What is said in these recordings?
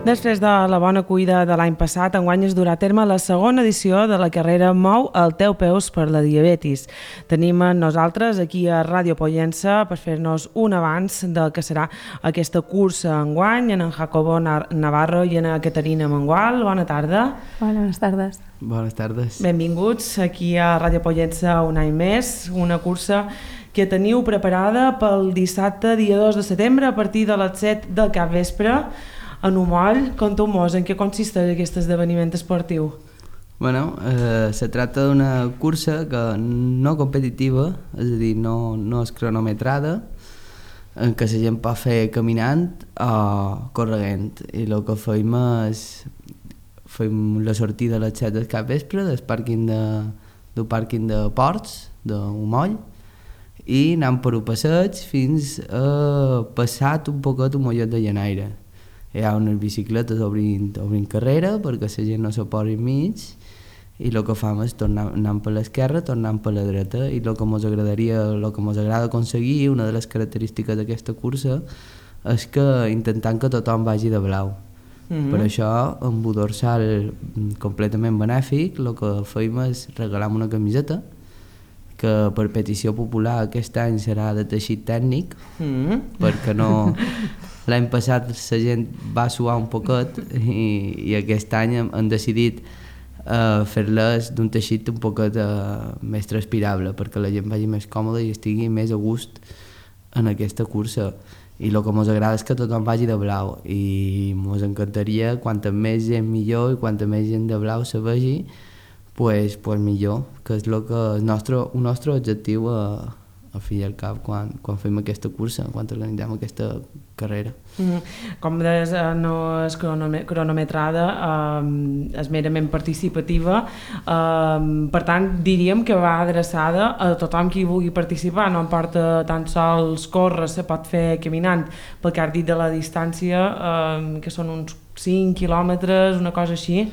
Després de la bona cuida de l'any passat, enguany es durà a terme la segona edició de la carrera Mou el teu peus per la diabetis. Tenim amb nosaltres aquí a Ràdio Pollença per fer-nos un avanç del que serà aquesta cursa enguany, en Jacobo Navarro i en Caterina Mengual. Bona tarda. Bones tardes. Bones tardes. Benvinguts aquí a Ràdio Pollença un any més, una cursa que teniu preparada pel dissabte, dia 2 de setembre, a partir de les 7 del capvespre, en Umoll. Conteu-mos en què consisteix aquest esdeveniment esportiu. Bueno, se tracta d'una cursa que no competitiva, és a dir, no és cronometrada, en què la gent pot fer caminant o corrent. I el que fem és la sortida a les 7 del capvespre del pàrquing de Ports, d'Umoll, i anem per un passeig fins a passat un poquet un mollet de Llanaire. Hi ha unes bicicletes obrint carrera perquè la gent no se posi enmig, i el que fem és anant per l'esquerra, tornant per la dreta, i el que ens agrada aconseguir, una de les característiques d'aquesta cursa, és que intentant que tothom vagi de blau. Per això, amb un dorsal completament benèfic, el que fem és regalar una camiseta, que per petició popular aquest any serà de teixit tècnic, perquè no... L'any passat la gent va suar un poquet i aquest any hem decidit fer-les d'un teixit un poquet més transpirable, perquè la gent vagi més còmoda i estigui més a gust en aquesta cursa. I el que ens agrada és que tothom vagi de blau, i ens encantaria quanta més gent millor, i quanta més gent de blau se vegi, pues millor, que és el nostre objectiu al fi i al cap quan fem aquesta cursa, quan organitzem aquesta carrera. Com deies, no és cronometrada, és merament participativa, per tant diríem que va adreçada a tothom qui vulgui participar, no importa tan sols córrer, se pot fer caminant, pel que has dit de la distància, que són uns 5 quilòmetres, una cosa així.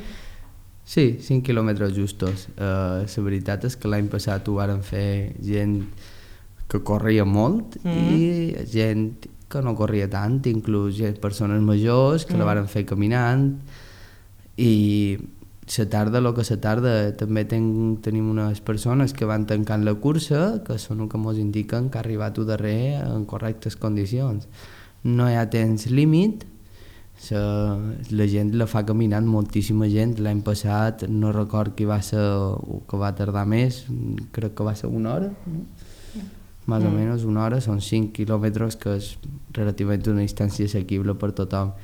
Sí, 5 quilòmetres justos. La veritat és que l'any passat ho varen fer gent que corria molt i gent que no corria tant, inclús persones majors que la varen fer caminant, i la tarda també tenim unes persones que van tancant la cursa, que són el que ens indiquen que ha arribat a darrer en correctes condicions. No hi ha temps límit, la gent la fa caminant, moltíssima gent. L'any passat no record qui va ser que va tardar més, crec que va ser una hora, no? Més o menys una hora, són 5 quilòmetres, que és relativament una distància assequible per tothom.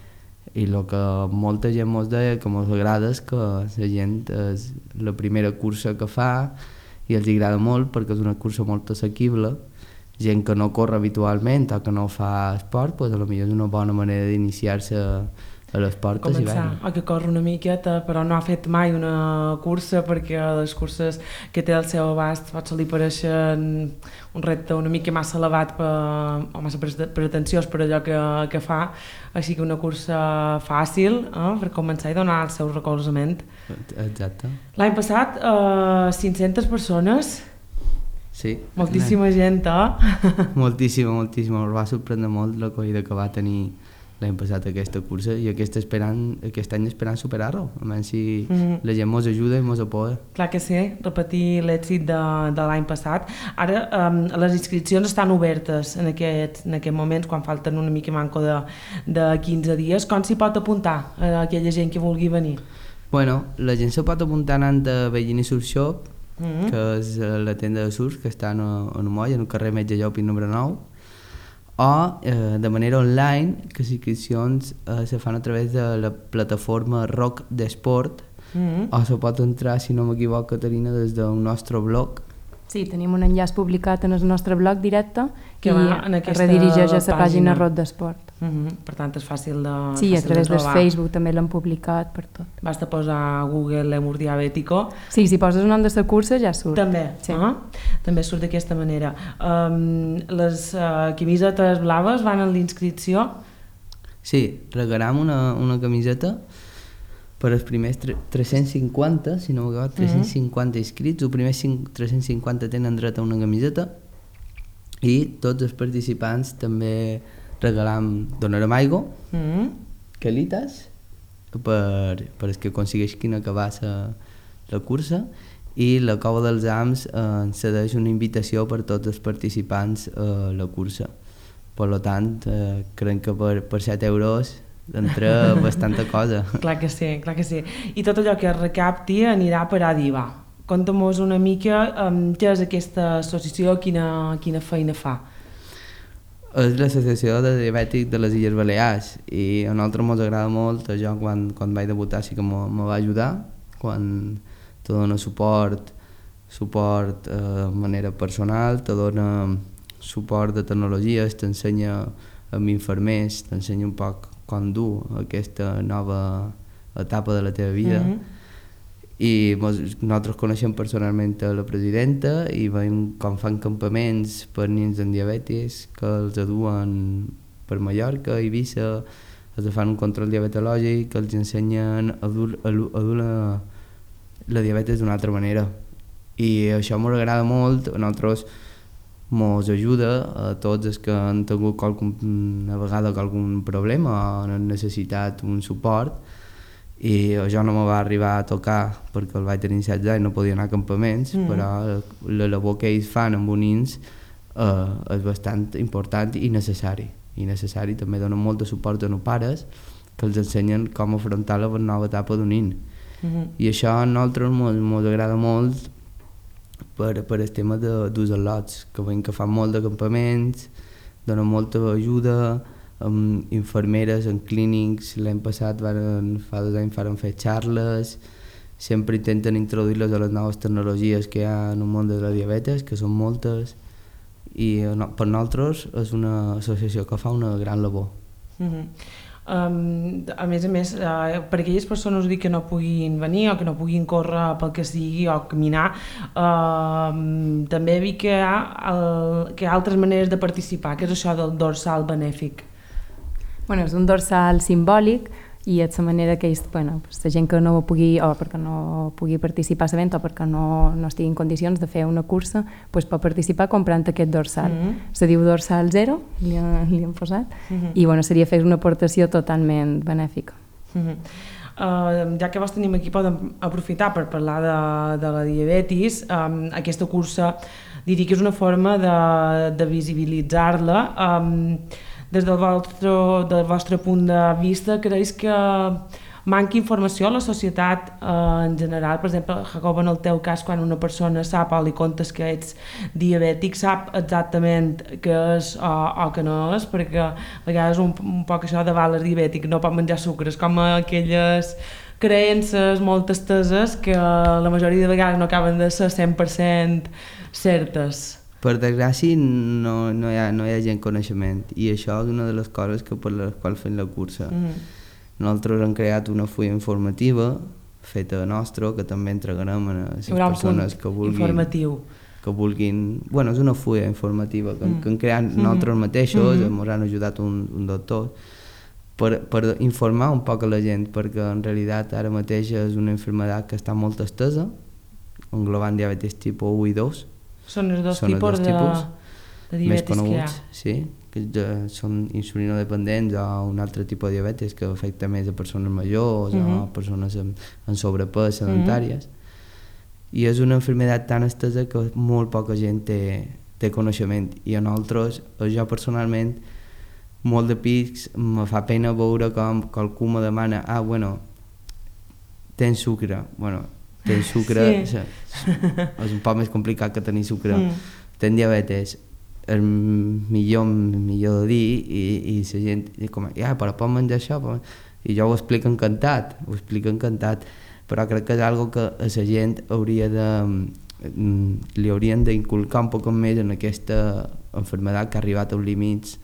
I el que molta gent ens deia que ens agrada és que la gent és la primera cursa que fa i els agrada molt perquè és una cursa molt assequible. Gent que no corre habitualment o que no fa esport, pues potser és una bona manera d'iniciar-se a l'esport. Començar a que corre una miqueta, però no ha fet mai una cursa, perquè les curses que té al seu abast potser li pareixen un repte una mica massa elevat o massa pretensiós per allò que fa, així que una cursa fàcil per començar i donar el seu recolzament. Exacte. L'any passat 500 persones. Sí. Moltíssima gent, Moltíssima. Ens va sorprendre molt l'acollida que va tenir l'any passat aquesta cursa, i aquest any esperant superar-ho, almenys si la gent ens ajuda i ens apoya. Clar que sí, repetir l'èxit de l'any passat. Ara les inscripcions estan obertes en aquests moments, quan falten una mica manco de 15 dies. Com s'hi pot apuntar aquella gent que vulgui venir? Bueno, la gent se pot apuntar anant a Bellini Surf Shop, que és la tenda de surf que està en Umoll, en el carrer Metge Llopis número 9, o de manera online, que les inscripcions se fan a través de la plataforma Rock d'Esport, o se pot entrar, si no m'equivoco, Caterina, des del nostre blog. Sí, tenim un enllaç publicat en el nostre blog directe que i redirigeix a la pàgina Rock d'Esport. Per tant, és fàcil de trobar. Sí, a través del Facebook també l'han publicat per tot. Basta posar a Google Lemur Diabètico. Sí, si poses el nom de la cursa ja surt. També, sí. També surt d'aquesta manera. Les camisetes blaves van en l'inscripció? Sí, regalam una camiseta per els primers 350, si no m'equivoco, 350 inscrits. Els primers 350 tenen dret a una camiseta, i tots els participants també donarem aigua, calitas per el que aconsegueixin acabar la cursa, i la Cova dels Ams cedeix una invitació per tots els participants a la cursa. Per tant, crec que per 7 euros entra bastanta cosa. Clar que sí, clar que sí. I tot allò que es recapti anirà per ADIVA. Conta'm-nos una mica què és aquesta associació, quina feina fa. És l'associació de diabètics de les Illes Balears i a nosaltres ens agrada molt. Jo quan vaig debutar sí que me va ajudar, quan te dona suport de manera personal, te dona suport de tecnologies, t'ensenya amb infermers, t'ensenya un poc com dur aquesta nova etapa de la teva vida. I nosaltres coneixem personalment la presidenta i veiem com fan campaments per nens amb diabetis que els aduen per Mallorca, Eivissa, els fan un control diabetològic, els ensenyen a dur la diabetes d'una altra manera. I això ens agrada molt, a nosaltres ens ajuda a tots els que han tingut una vegada algun problema o han necessitat un suport. I jo no me va arribar a tocar perquè el vaig tenir 16 anys i no podia anar a campaments, però la labor que ells fan amb un nens és bastant important i necessari. També donen molt de suport a els pares que els ensenyen com afrontar la nova etapa d'un nen. I això a nosaltres ens agrada molt per el tema dels al·lots, que veiem que fan molt de campaments, donen molta ajuda, amb infermeres en clínics. L'any passat fa 2 anys varen fer xarles, sempre intenten introduir-les a les noves tecnologies que hi ha en el món de la diabetes, que són moltes, i per nosaltres és una associació que fa una gran labor. A més, per aquelles persones que no puguin venir o que no puguin córrer pel que sigui o caminar, també he vist que hi ha altres maneres de participar. Què és això del dorsal benèfic? És un dorsal simbòlic i és la manera que la gent que no pugui, o perquè no pugui participar a l'event o perquè no estigui en condicions de fer una cursa, pot participar comprant aquest dorsal. Se diu dorsal 0, li han posat, i seria fer una aportació totalment benèfica. Ja que vos tenim aquí, podem aprofitar per parlar de la diabetis. Aquesta cursa diria que és una forma de visibilitzar-la. Des del vostre punt de vista, creus que manca informació a la societat en general? Per exemple, Jacob, en el teu cas, quan una persona sap o li contes que ets diabètic, sap exactament què és o què no és, perquè a vegades un poc això de val, és diabètic, no pot menjar sucres, com aquelles creences molt esteses que la majoria de vegades no acaben de ser 100% certes. Per desgràcia no hi ha gent coneixement, i això és una de les coses per les quals fem la cursa. Nosaltres hem creat una fulla informativa feta nostra que també entregarem a les persones que vulguin. És una fulla informativa que hem creat nosaltres mateixos, ens han ajudat un doctor per informar un poc a la gent, perquè en realitat ara mateix és una malaltia que està molt estesa, englobant diabetis tipus 1 i 2. Són els dos tipus de diabetis més coneguts, que són insulinodependents o un altre tipus de diabetis que afecta més a persones majors o persones amb sobrepès, sedentàries. I és una malaltia tan estesa que molt poca gent té coneixement. I a nosaltres, jo personalment, molt de pics me fa pena veure com algú me demana tens sucre. Tens sucre, és un poc més complicat que tenir sucre. Tens diabetes, és millor de dir, i la gent com, però pot menjar això? I jo ho explico encantat, però crec que és una que a la gent li haurien d'inculcar un poc més en aquesta malaltia que ha arribat als límits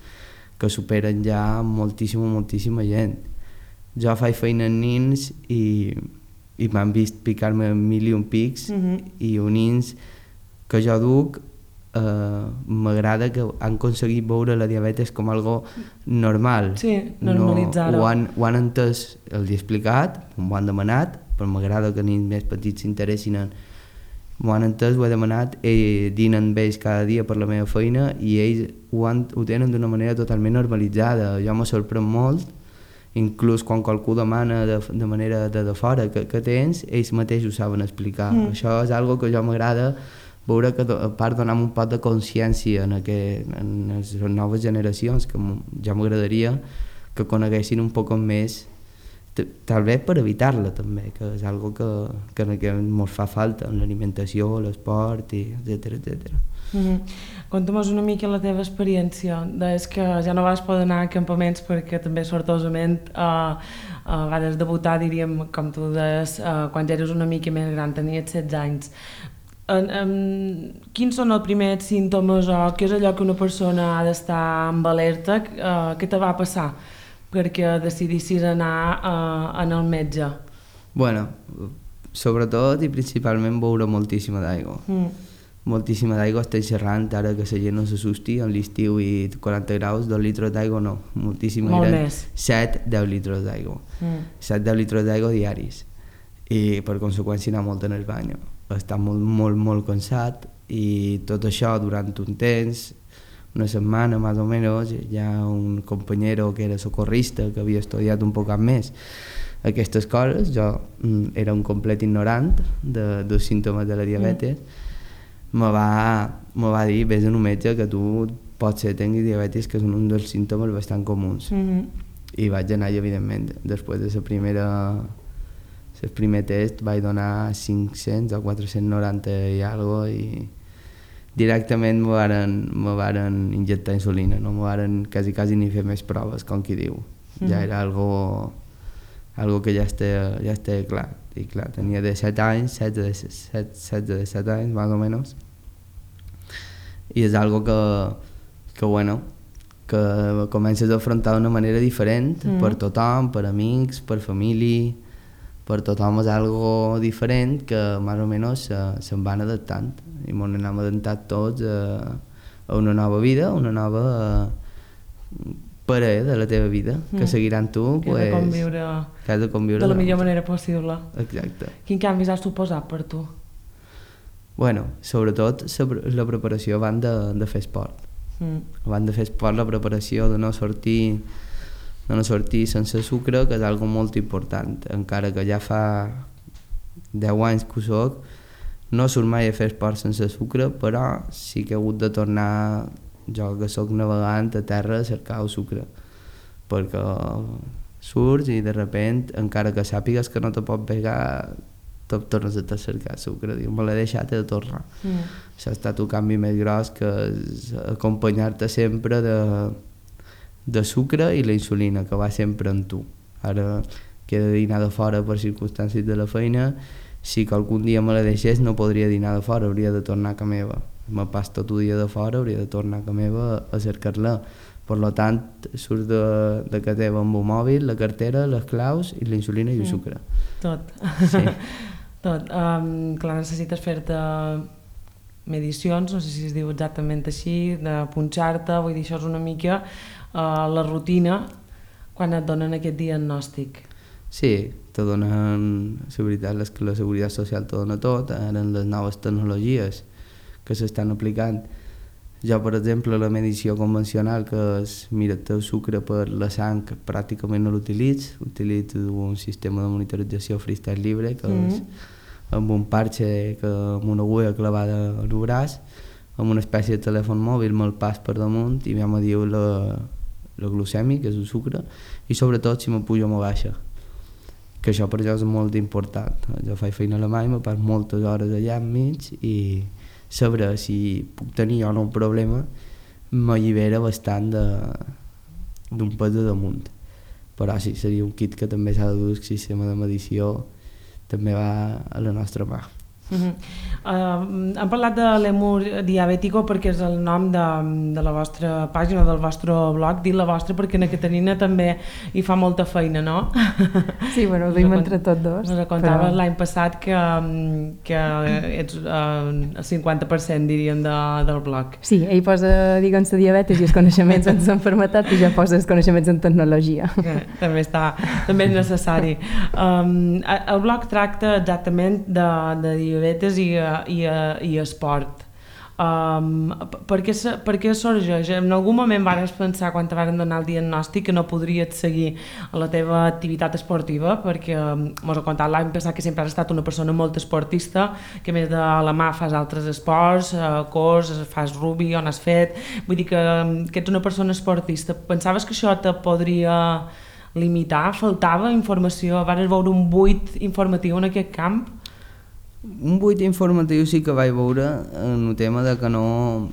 que superen ja moltíssima gent. Jo faig feina en nens i m'han vist picar-me 1.000 pics, i uns nens que jo duc m'agrada que han aconseguit veure la diabetes com algo normal. Sí, normalitzar-ho. Ho han entès, els he explicat, m'ho han demanat, però m'agrada que nens més petits s'interessin m'ho han entès, ho he demanat, dinen amb ells cada dia per la meva feina i ells ho tenen d'una manera totalment normalitzada. Jo me sorprèn molt inclús quan qualcú demana de manera de fora que tens, ells mateixos saben explicar. Això és algo que jo m'agrada veure, que a part donar un poc de consciència en les noves generacions, que ja m'agradaria que coneguessin un poc més, tal vez per evitar-la també, que és algo que ens fa falta en l'alimentació, l'esport, etcètera. Conta'm-nos una mica la teva experiència. Deies que ja no vas poder anar a campaments perquè també sortosament vas debutar, diríem, com tu deies, quan ja eres una mica més gran, tenies 16 anys. Quins són els primers símptomes o què és allò que una persona ha d'estar amb alerta? Què te va passar perquè decidissis anar al metge? Bueno, sobretot i principalment beure moltíssima d'aigua. Moltíssima d'aigua, estic xerrant ara que la gent no s'assusti, en l'estiu i 40 graus, 2 litres d'aigua no, moltíssima. Molt més. 7-10 litres d'aigua. 7-10 litres d'aigua diaris. I per conseqüència anar molt en el bany. Està molt cansat i tot això durant un temps, una setmana més o menys, hi ha un companyero que era socorrista que havia estudiat un poc més aquestes coses. Jo era un complet ignorant dels símptomes de la diabetes. Me va dir, vés a un metge que tu potser tinguis diabetis, que és un dels símptomes bastant comuns. I vaig anar i evidentment després de el primer test vaig donar 500 o 490 i algo i directament me varen injectar insulina, no me varen quasi ni fer més proves, com qui diu. Ja era algo que ja estava clar. I clar, tenia 17 anys, 17 anys, més o menys. I és algo que comences a afrontar d'una manera diferent per tothom, per amics, per família, per tothom és algo diferent que més o menys se'n van adaptant. I ens n'hem adaptat tots a una nova vida, una nova parella de la teva vida, que seguiran tu. Que has de conviure de la millor manera possible. Exacte. Quin canvis has suposat per tu? Bueno, sobretot la preparació abans de fer esport. Abans de fer esport, la preparació de no sortir sense sucre, que és algo molt important. Encara que ja fa 10 anys que ho soc, no surt mai a fer esport sense sucre, però sí que he hagut de tornar, jo que soc navegant, a terra a cercar el sucre, perquè surts i de repent, encara que sàpigues que no te pot pegar, te tornes a cercar sucre. Diu, me l'he deixat, he de tornar. Això ha estat un canvi més gros, que és acompanyar-te sempre de sucre i la insulina, que va sempre amb tu. Ara que he de dinar de fora per circumstàncies de la feina, si que algun dia me la deixés no podria dinar de fora, hauria de tornar a casa meva. Me pas tot el dia de fora, hauria de tornar a casa meva a cercar-la. Per tant, surts de casa teva amb un mòbil, la cartera, les claus i la insulina i el sucre. Tot. Sí. Tot. Clar, necessites fer-te medicions, no sé si es diu exactament així, de punxar-te, vull dir, això és una mica la rutina quan et donen aquest diagnòstic. Sí, te donen, la veritat és que la Seguretat Social te dona tot, ara en les noves tecnologies que s'estan aplicant. Jo, per exemple, la medició convencional, que és mira't el sucre per la sang, pràcticament no l'utilitzo un sistema de monitorització freestyle libre, que és amb un parxe, amb una agulla clavada al braç, amb una espècie de telèfon mòbil, me'l pas per damunt i ja me diu la glucèmia, que és el sucre, i sobretot si me puja o me baixa, que això per jo és molt important. Jo faig feina a Alemanya, me pas moltes hores allà enmig i saber si puc tenir o no un problema m'allibera bastant d'un pes de damunt. Però sí, seria un kit que també s'ha de dur, el sistema de medició també va a la nostra mà. Hem parlat de l'Èmur Diabètico perquè és el nom de la vostra pàgina, del vostre blog. Dic la vostra perquè la Caterina també hi fa molta feina, no? Sí, bueno, ho duim entre tots dos. Ens contaves l'any passat que ets el 50%, diríem, del blog. Sí, ell posa, diguem, la diabetes i els coneixements en l'enfermetat i ja posa els coneixements en tecnologia. També és necessari. El blog tracta exactament de diabetes i esport. Per què sorgeix? En algun moment vas pensar, quan te van donar el diagnòstic, que no podries seguir la teva activitat esportiva? Perquè mos ha contat l'any passat que sempre has estat una persona molt esportista, que a més de la mà fas altres esports, cors, fas rugby, on has fet... Vull dir que ets una persona esportista. Pensaves que això te podria limitar? Faltava informació? Vas veure un buit informatiu en aquest camp? Un buit informatiu sí que vaig veure en el tema de que no...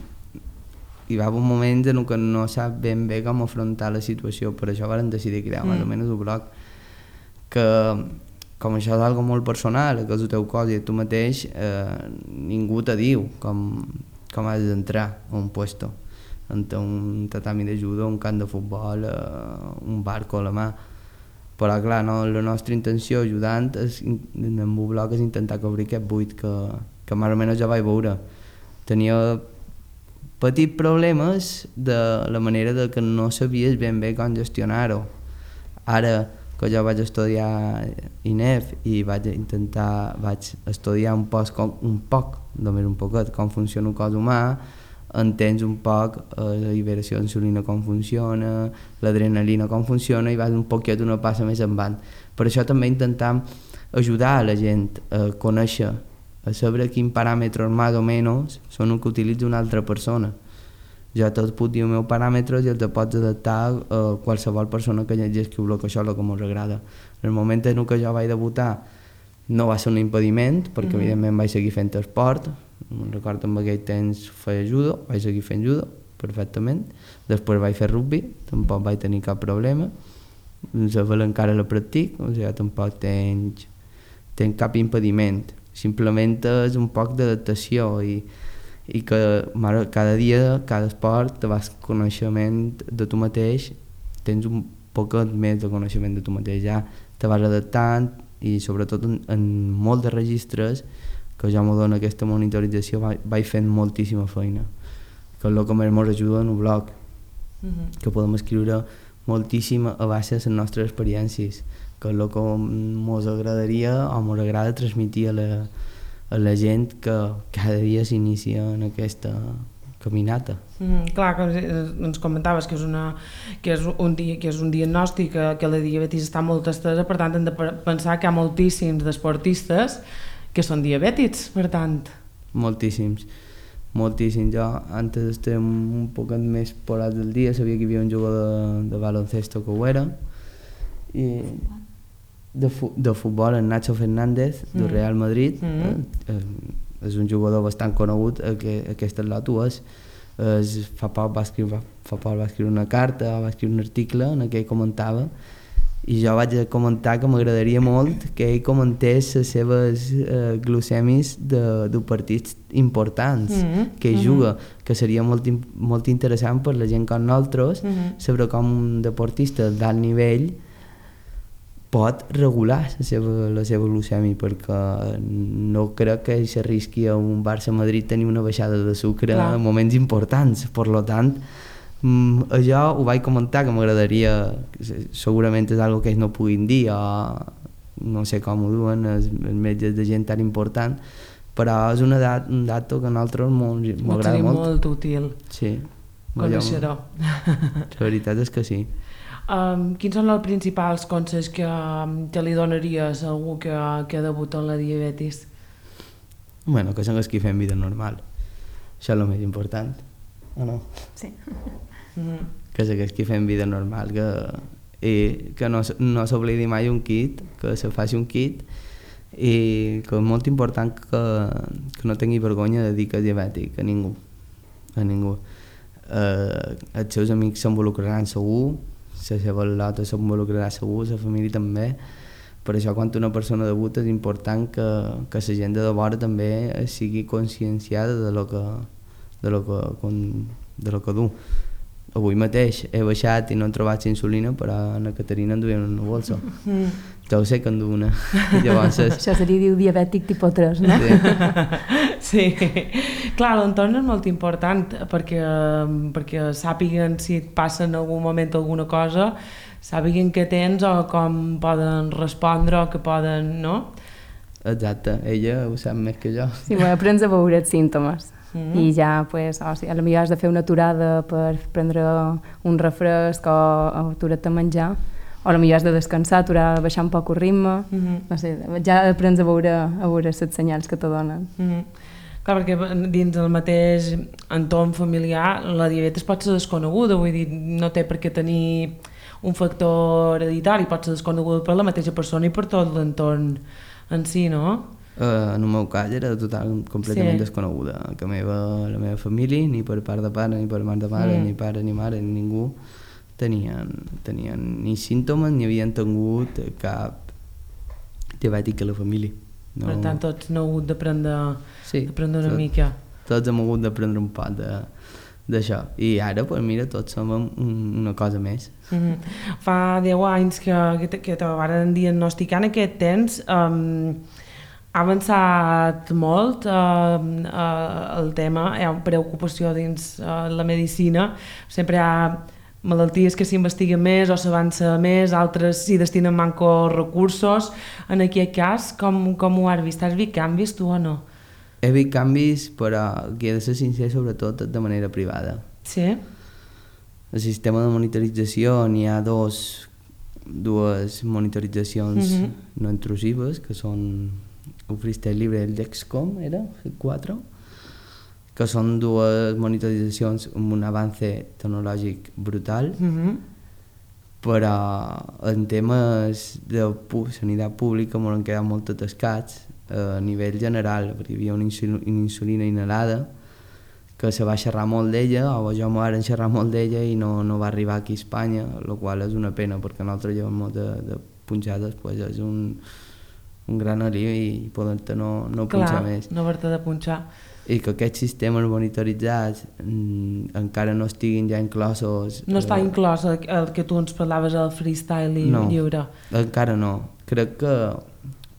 Hi va haver un moment en què no sap ben bé com afrontar la situació, per això vam decidir crear més o menys un blog, que com això és algo molt personal, que és el teu cos i tu mateix, ningú te diu com has d'entrar a un puesto, en un tatami de judo, un camp de futbol, un barco a la mà. Però clar, no, la nostra intenció ajudant en el blog és intentar cobrir aquest buit que més o menys ja vaig veure. Tenia petits problemes de la manera de que no sabies ben bé com gestionar-ho. Ara que jo vaig estudiar INEF i vaig estudiar un poc, només un poquet, com funciona el cos humà, entens un poc la liberació d'insulina com funciona, l'adrenalina com funciona i vas un poquet una passa més endavant. Per això també intentam ajudar a la gent a conèixer, a saber quins paràmetres més o menys són els que utilitza una altra persona. Jo te'ls puc dir els meus paràmetres i els pots adaptar a qualsevol persona que llegeixi el blog, això és el que ens agrada. En el moment en què jo vaig debutar no va ser un impediment, perquè evidentment vaig seguir fent esport. Recordo en aquell temps feia judo, vaig seguir fent judo perfectament, després vaig fer rugby, tampoc vaig tenir cap problema, la vela encara la practic, o sigui, tampoc tenc cap impediment, simplement és un poc d'adaptació i que cada dia, cada esport te vas coneixement de tu mateix, tens un poquet més de coneixement de tu mateix, ja te vas adaptant i sobretot en molts de registres que ja m'ho dona aquesta monitorització vaig fent moltíssima feina, que és el que més ens ajuda en el blog, que podem escriure moltíssim a base de les nostres experiències, que és el que ens agradaria o ens agrada transmetir a la gent que cada dia s'inicia en aquesta caminata. Clar, que ens comentaves que és un diagnòstic que la diabetis està molt estesa, per tant hem de pensar que hi ha moltíssims d'esportistes que són diabètics, per tant. Moltíssims. Jo antes estava un poc més porat del dia, sabia que hi havia un jugador de baloncesto que ho era, i de futbol, en Nacho Fernández, del Real Madrid, és un jugador bastant conegut, aquest atleta ho és. Fa poc va escriure una carta, va escriure un article en què ell comentava, i jo vaig comentar que m'agradaria molt que ell comentés les seves glucèmies de partits importants que ell juga, que seria molt interessant per la gent com nosaltres saber com un deportista d'alt nivell pot regular la seva glucèmia, perquè no crec que s'arrisqui a un Barça-Madrid tenir una baixada de sucre en moments importants. Per tant, això ho vaig comentar, que m'agradaria, segurament és una cosa que ells no puguin dir, o no sé com ho duen els metges de gent tan important, però és un dato que a nosaltres m'agrada molt. Seria molt útil. Sí. Conèixer-ho. La veritat és que sí. Quins són els principals consells que li donaries a algú que debuta en la diabetis? Bueno, que s'engresqui fent vida normal. Això és el més important, o no? Sí. Que s'engresqui fent vida normal, que no s'oblidi mai un kit, que se faci un kit, i que és molt important que no tingui vergonya de dir que és diabètic, a ningú. Els seus amics s'involucraran segur, la seva lota s'involucrarà segur, la família també. Per això, quan una persona debuta, és important que la gent de vora també sigui conscienciada de lo que du. Avui mateix he baixat i no he trobat insulina, però a Caterina en duia una bolsa. Ja ho sé que en du una. Això seria dir diabètic tipus 3, no? Sí. Clar, l'entorn és molt important perquè sàpiguen si et passa en algun moment alguna cosa, sàpiguen què tens o com poden respondre o que poden, no? Exacte, ella ho sap més que jo. Sí, bueno, aprens a veure els símptomes. i ja, pues, o sigui, potser has de fer una aturada per prendre un refresc o aturar-te a menjar, o potser has de descansar, aturar, baixar un poc el ritme, no sé, ja aprens a veure les senyals que te donen. Clar, perquè dins el mateix entorn familiar la diabetes pot ser desconeguda, vull dir, no té per què tenir un factor hereditari, pot ser desconeguda per la mateixa persona i per tot l'entorn en si, no? En el meu cas era completament desconeguda, que la meva família, ni per part de pare, ni per part de mare, ni pare, ni mare, ni ningú, tenien ni símptomes ni havien tingut cap diabètic a la família. No. Per tant, tots no heu hagut d'aprendre una mica. Tots hem hagut d'aprendre un poc d'això. I ara, pues, mira, tots som una cosa més. Fa 10 anys que te van diagnosticar. En aquest temps ha avançat molt el tema, hi ha preocupació dins la medicina, sempre hi ha malalties que s'investiguen més o s'avança més, altres s'hi destinen mancos recursos. En aquest cas, com ho has vist? Has vist canvis tu o no? He vist canvis, però que he de ser sincer, sobretot de manera privada. Sí? El sistema de monitorització, n'hi ha dues monitoritzacions no intrusives, que són el Freestyle Libre i el Dexcom, era? El 4? Que són dues monitoritzacions amb un avance tecnològic brutal, però en temes de sanitat pública m'han quedat molt atascats a nivell general, perquè hi havia una insulina inhalada que se va xerrar molt d'ella, o jo m'ho van xerrar molt d'ella i no va arribar aquí a Espanya, el qual és una pena, perquè nosaltres llevem molt de punxades, pues és un gran alivi i poder-te no punxar més. Clar, no haver-te de punxar. I que aquests sistemes monitoritzats encara no estiguin ja inclosos... No està inclòs el que tu ens parlaves, el freestyle lliure? No, encara no. Crec que,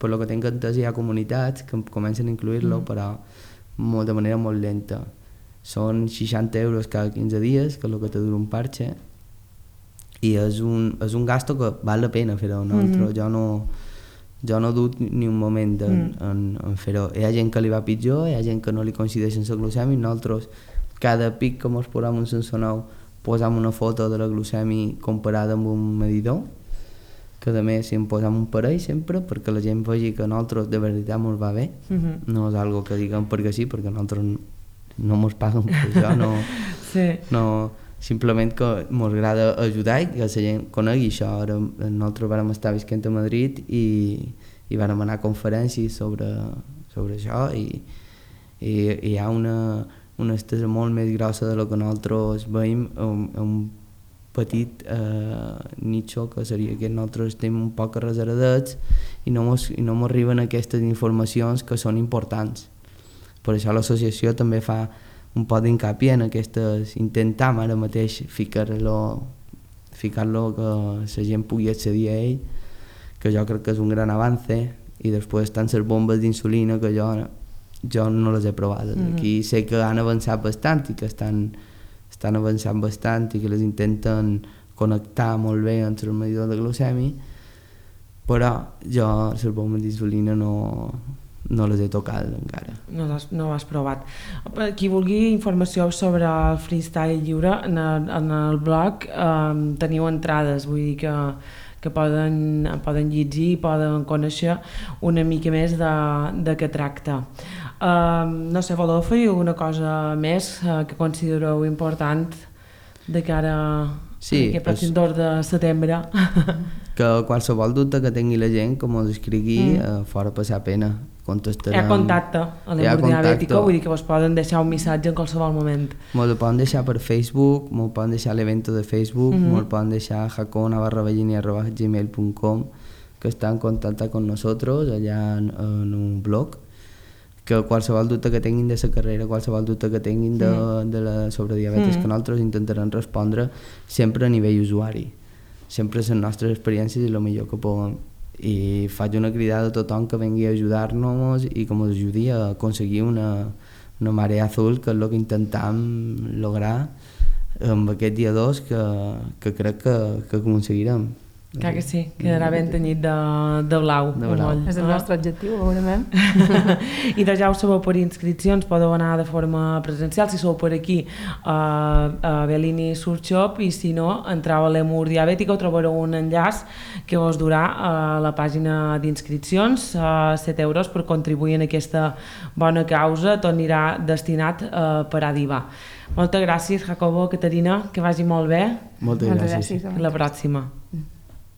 per lo que tinc entès, hi ha comunitats que comencen a incluir-lo, però de manera molt lenta. Són 60 euros cada 15 dies, que és el que te dura un parche, i és un gasto que val la pena fer-ho. Jo no dubto ni un moment en fer-ho. Hi ha gent que li va pitjor, hi ha gent que no li coincideixen la glucèmia, nosaltres cada pic que ens posam un sensor posam una foto de la glucèmia comparada amb un medidor, que a més si en posam un parell sempre perquè la gent vegi que a nosaltres de veritat ens va bé, no és algo que diguem perquè sí, perquè nosaltres no ens paguen per això, no, simplement que ens agrada ajudar i que la gent conegui això. Ara nosaltres vam estar visquent a Madrid i vam anar a conferències sobre això i hi ha una estesa molt més grossa de lo que nosaltres veiem, un petit nicho que seria que nosaltres estem un poc reservats i no m'arriben aquestes informacions que són importants. Per això l'associació també fa un poc d'incapié en aquestes, intentam ara mateix ficar-lo que la gent pugui accedir a ell, que jo crec que és un gran avance, i després estan les bombes d'insulina que jo no les he provades. Aquí sé que han avançat bastant i que estan avançant bastant i que les intenten connectar molt bé amb el medidor de glucèmia, però jo les bombes d'insulina no les he tocat encara. No ho has provat. Qui vulgui informació sobre el freestyle lliure, en el blog teniu entrades, vull dir que poden llegir i poden conèixer una mica més de què tracta. No sé, voleu fer alguna cosa més que considereu important de cara a aquest pròxim 2 de setembre? Que qualsevol dubte que tingui la gent, com us escrigui, fora passar pena. Hi ha contacte a l'Hemodiabètica, vull dir que vos poden deixar un missatge en qualsevol moment. M'ho poden deixar per Facebook, m'ho poden deixar a l'evento de Facebook, m'ho poden deixar a jacona@gmail.com, que està en contacte con nosotros allà en un blog, que qualsevol dubte que tinguin de la carrera, qualsevol dubte que tinguin sobre diabetes, que nosaltres intentarem respondre sempre a nivell usuari, sempre les nostres experiències i el millor que puguem. I faig una cridada a tothom que vengui a ajudar-nos i que ens ajudi a aconseguir una marea azul, que és el que intentam lograr amb aquest dia 2, que crec que aconseguirem. Clar que sí, quedarà ben tenyit de blau. De blau. És el nostre objectiu, segurament. I de ja ho sabeu, per inscripcions podeu anar de forma presencial si sou per aquí a Bellini Surf Shop, i si no, entreu a l'Emur Diabètica, trobareu un enllaç que us durà a la pàgina d'inscripcions, 7 euros per contribuir en aquesta bona causa, tot anirà destinat per a Diva. Moltes gràcies, Jacobo, Caterina, que vagi molt bé. Moltes gràcies. Fins la pròxima.